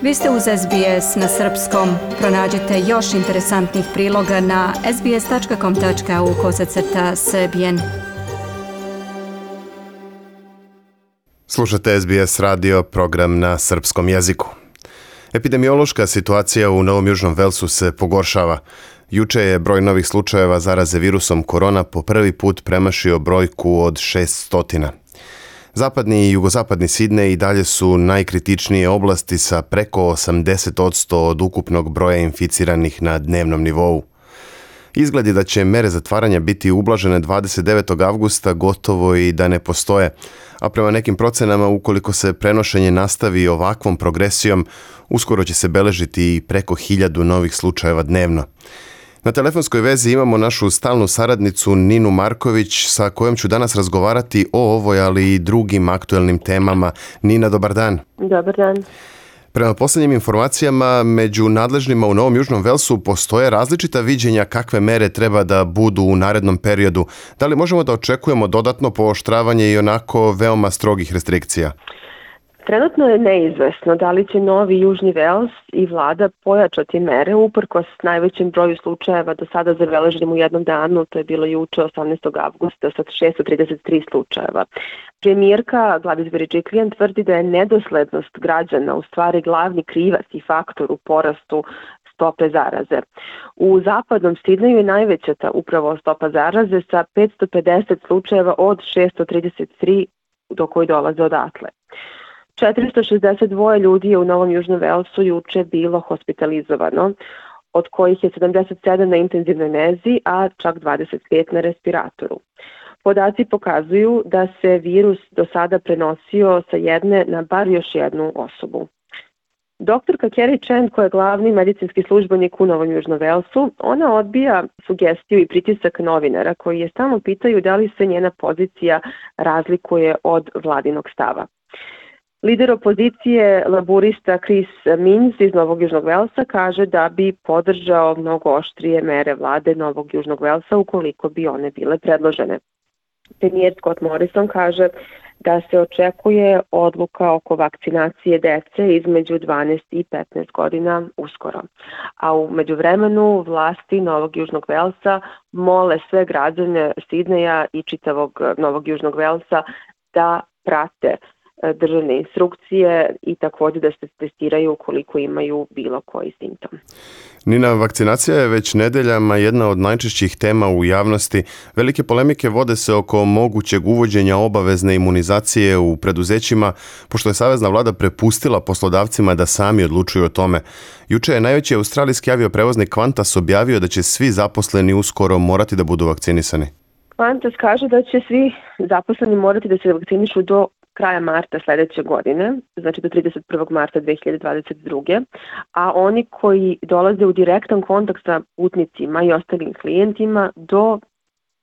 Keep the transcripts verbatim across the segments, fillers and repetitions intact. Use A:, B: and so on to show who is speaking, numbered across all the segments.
A: Vi ste uz S B S na srpskom. Pronađite još interesantnih priloga na sbs.com.au kosacrta srbijen.
B: Slušate S B S radio, program na srpskom jeziku. Epidemiološka situacija u Novom Južnom Velsu se pogoršava. Juče je broj novih slučajeva zaraze virusom korona po prvi put premašio brojku od šesto. Zapadni i jugozapadni Sidnej i dalje su najkritičnije oblasti sa preko osamdeset posto od ukupnog broja inficiranih na dnevnom nivou. Izgled je da će mere zatvaranja biti ublažene dvadeset devetog avgusta gotovo i da ne postoje, a prema nekim procenama ukoliko se prenošenje nastavi ovakvom progresijom, uskoro će se beležiti i preko hiljadu novih slučajeva dnevno. Na telefonskoj vezi imamo našu stalnu saradnicu Ninu Marković sa kojom ću danas razgovarati o ovoj, ali i drugim aktuelnim temama. Nina, dobar dan.
C: Dobar dan.
B: Prema posljednjim informacijama, među nadležnima u Novom Južnom Velsu postoje različita viđenja kakve mere treba da budu u narednom periodu. Da li možemo da očekujemo dodatno pooštravanje i onako veoma strogih restrikcija?
C: Trenutno je neizvesno da li će Novi Južni Vels i vlada pojačati mere uprkos najvećem broju slučajeva do sada zabeleženim u jednom danu, to je bilo juče osamnaestog avgusta sa šesto trideset tri slučajeva. Premijerka Gladys Berejiklian tvrdi da je nedoslednost građana u stvari glavni krivac i faktor u porastu stope zaraze. U zapadnom Sidneju je najveća ta upravo stopa zaraze sa petsto pedeset slučajeva od šesto trideset tri do koji dolaze odatle. četiristo šezdeset dva ljudi je u Novom Južnom Velsu juče bilo hospitalizovano, od kojih je sedamdeset sedam na intenzivnoj nezi, a čak dvadeset pet na respiratoru. Podaci pokazuju da se virus do sada prenosio sa jedne na bar još jednu osobu. Doktorka Kerry Chen, koja je glavni medicinski službenik u Novom Južnom Velsu, ona odbija sugestiju i pritisak novinara koji je stalno pitaju da li se njena pozicija razlikuje od vladinog stava. Lider opozicije laburista Chris Minns iz Novog Južnog Velsa kaže da bi podržao mnogo oštrije mere vlade Novog Južnog Velsa ukoliko bi one bile predložene. Premijer Scott Morrison kaže da se očekuje odluka oko vakcinacije dece između dvanaest i petnaest godina uskoro. A u međuvremenu vlasti Novog Južnog Velsa mole sve građane Sidneja i čitavog Novog Južnog Velsa da prate državne instrukcije i također da se testiraju ukoliko imaju bilo koji simptom.
B: Nina, vakcinacija je već nedeljama jedna od najčešćih tema u javnosti. Velike polemike vode se oko mogućeg uvođenja obavezne imunizacije u preduzećima, pošto je savezna vlada prepustila poslodavcima da sami odlučuju o tome. Juče je najveći australijski avioprevoznik Qantas objavio da će svi zaposleni uskoro morati da budu vakcinisani.
C: Qantas kaže da će svi zaposleni morati da se vakcinišu do kraja marta sljedeće godine, znači do trideset prvog marta dve hiljade dvadeset druge. A oni koji dolaze u direktan kontakt sa putnicima i ostalim klijentima do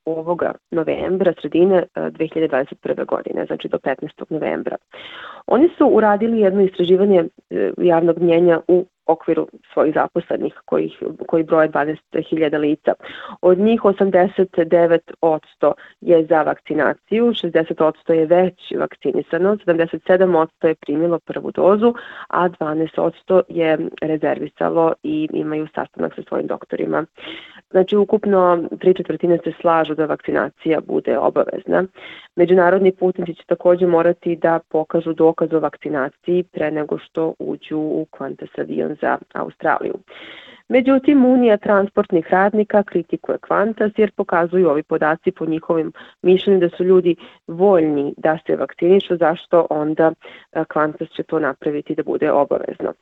C: ovoga novembra, sredine dve hiljade dvadeset prve godine, znači do petnaestog novembra. Oni su uradili jedno istraživanje javnog mnjenja u okviru svojih zaposlenih koji, koji broje dvanaest hiljada lica. Od njih osamdeset devet posto je za vakcinaciju, šezdeset posto je već vakcinisano, sedamdeset sedam posto je primilo prvu dozu, a dvanaest posto je rezervisalo i imaju sastanak sa svojim doktorima. Znači, ukupno tri četvrtine se slažu da vakcinacija bude obavezna. Međunarodni putnici će također morati da pokažu dokaz o vakcinaciji pre nego što uđu u Qantas avion za Australiju. Međutim, Unija transportnih radnika kritikuje Qantas jer pokazuju ovi podaci po njihovim mišljenju da su ljudi voljni da se vakcinišu, zašto onda Qantas će to napraviti da bude obavezno.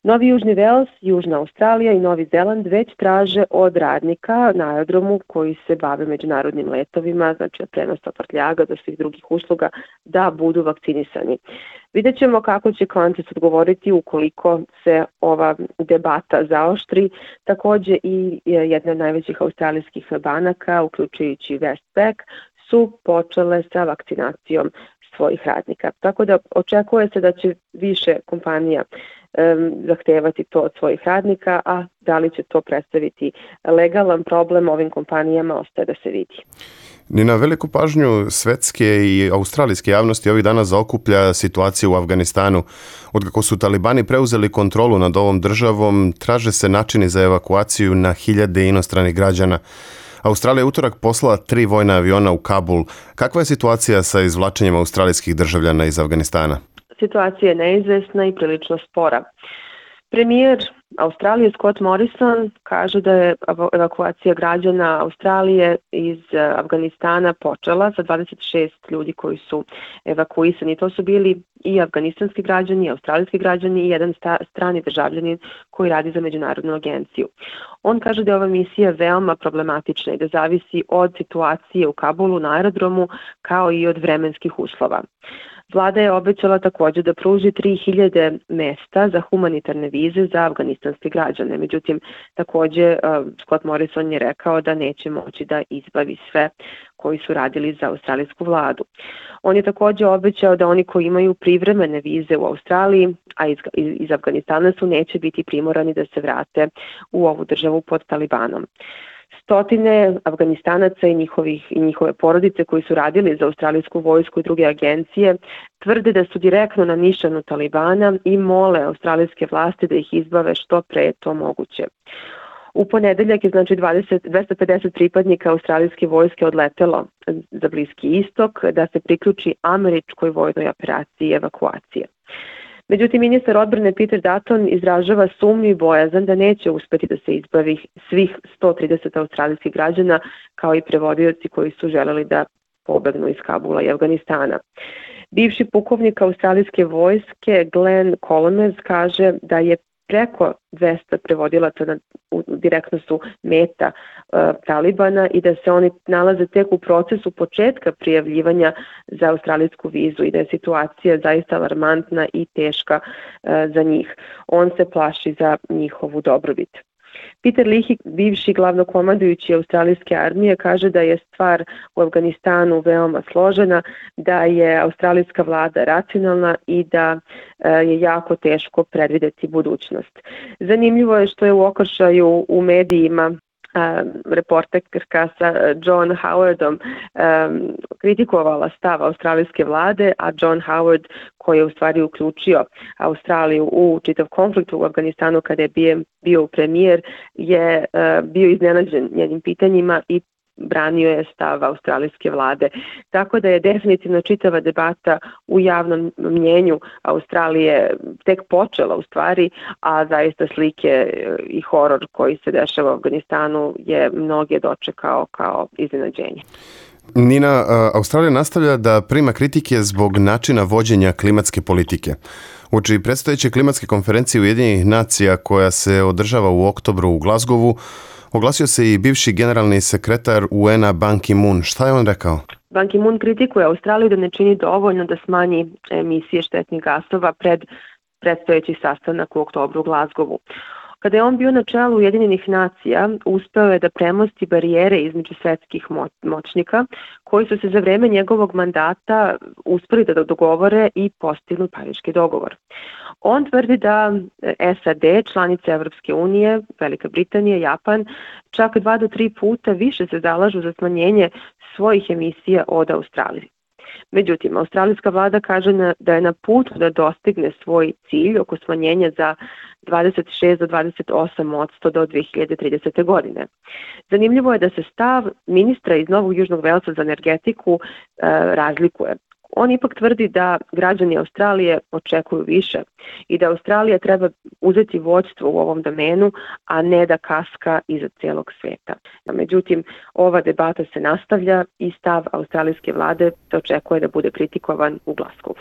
C: Novi Južni Vels, Južna Australija i Novi Zeland već traže od radnika na aerodromu koji se bave međunarodnim letovima, znači od prenosa prtljaga do svih drugih usluga, da budu vakcinisani. Vidjet ćemo kako će Qantas odgovoriti ukoliko se ova debata zaoštri. Također i jedna od najvećih australijskih banaka, uključujući Westpac, su počele sa vakcinacijom svojih radnika. Tako da očekuje se da će više kompanija um, zahtevati to od svojih radnika, a da li će to predstaviti legalan problem ovim kompanijama ostaje da se vidi.
B: Ni na veliku pažnju svetske i australijske javnosti ovih dana zaokuplja situacija u Afganistanu. Otkako su talibani preuzeli kontrolu nad ovom državom, traže se načini za evakuaciju na hiljade inostranih građana. Australija je utorak poslala tri vojna aviona u Kabul. Kakva je situacija sa izvlačenjem australijskih državljana iz Afganistana?
C: Situacija je neizvesna i prilično spora. Premijer Australije Scott Morrison kaže da je evakuacija građana Australije iz Afganistana počela sa dvadeset šest ljudi koji su evakuisani. To su bili i afganistanski građani, i australijski građani i jedan sta, strani državljanin koji radi za međunarodnu agenciju. On kaže da je ova misija veoma problematična i da zavisi od situacije u Kabulu na aerodromu kao i od vremenskih uslova. Vlada je obećala također da pruži tri hiljade mesta za humanitarne vize za afganistanske građane. Međutim, također Scott Morrison je rekao da neće moći da izbavi sve koji su radili za australijsku vladu. On je također obećao da oni koji imaju privremene vize u Australiji, a iz, iz Afganistana su, neće biti primorani da se vrate u ovu državu pod Talibanom. Stotine Afganistanaca i, njihovih, i njihove porodice koji su radili za australijsku vojsku i druge agencije tvrde da su direktno na nišanu Talibana i mole australijske vlasti da ih izbave što pre je to moguće. U ponedeljak je znači dvadeset, dvesta pedeset pripadnika australijske vojske odletelo za Bliski istok da se priključi američkoj vojnoj operaciji evakuacije. Međutim, ministar odbrane Peter Dutton izražava sumnju i bojazan da neće uspeti da se izbavi svih sto trideset australijskih građana kao i prevodioci koji su želeli da pobegnu iz Kabula i Afganistana. Bivši pukovnik australijske vojske Glenn Colomers kaže da je preko dvesta prevodilaca na, u, direktno su meta uh, Talibana i da se oni nalaze tek u procesu početka prijavljivanja za australijsku vizu i da je situacija zaista alarmantna i teška uh, za njih. On se plaši za njihovu dobrobit. Peter Lihi, bivši glavnokomandujući australijske armije, kaže da je stvar u Afganistanu veoma složena, da je australijska vlada racionalna i da je jako teško predvideti budućnost. Zanimljivo je što je u okršaju u medijima reporterka sa John Howardom um, kritikovala stav australijske vlade, a John Howard, koji je u stvari uključio Australiju u čitav konflikt u Afganistanu kada je bio, bio premijer, je uh, bio iznenađen njenim pitanjima i branio je stav australijske vlade. Tako da je definitivno čitava debata u javnom mnjenju Australije tek počela u stvari, a zaista slike i horor koji se dešava u Afganistanu je mnoge dočekao kao iznenađenje.
B: Nina, Australija nastavlja da prima kritike zbog načina vođenja klimatske politike. Uoči predstojeće klimatske konferencije Ujedinjenih nacija koja se održava u oktobru u Glasgowu, oglasio se i bivši generalni sekretar U N-a Ban Ki-moon. Šta je on rekao?
C: Ban Ki-moon kritikuje Australiju da ne čini dovoljno da smanji emisije štetnih gasova pred predstojeći sastanak u oktobru u Glasgowu. Kada je on bio na čelu Ujedinjenih nacija, uspeo je da premosti barijere između svetskih moćnika koji su se za vreme njegovog mandata uspeli da dogovore i postignu Pariški dogovor. On tvrdi da S A D, članice Evropske unije, Velika Britanija, Japan, čak dva do tri puta više se zalažu za smanjenje svojih emisija od Australije. Međutim, australijska vlada kaže na, da je na putu da dostigne svoj cilj oko smanjenja za dvadeset šest do dvadeset osam posto do dve hiljade tridesete. godine. Zanimljivo je da se stav ministra iz Novog Južnog Velsa za energetiku e, razlikuje. On ipak tvrdi da građani Australije očekuju više i da Australija treba uzeti vođstvo u ovom domenu, a ne da kaska iza cijelog svijeta. Međutim, ova debata se nastavlja i stav australijske vlade se očekuje da bude kritikovan u Glasgowu.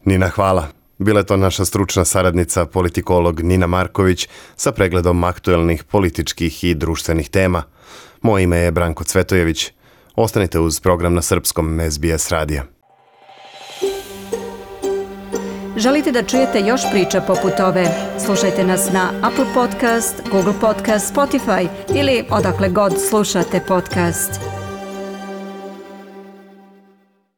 B: Nina, hvala. Bila je to naša stručna saradnica, politikolog Nina Marković sa pregledom aktuelnih političkih i društvenih tema. Moje ime je Branko Cvetojević. Ostanite uz program na srpskom S B S radija.
A: Želite da čujete još priča poput ove? Slušajte nas na Apple Podcast, Google Podcast, Spotify ili odakle god slušate podcast.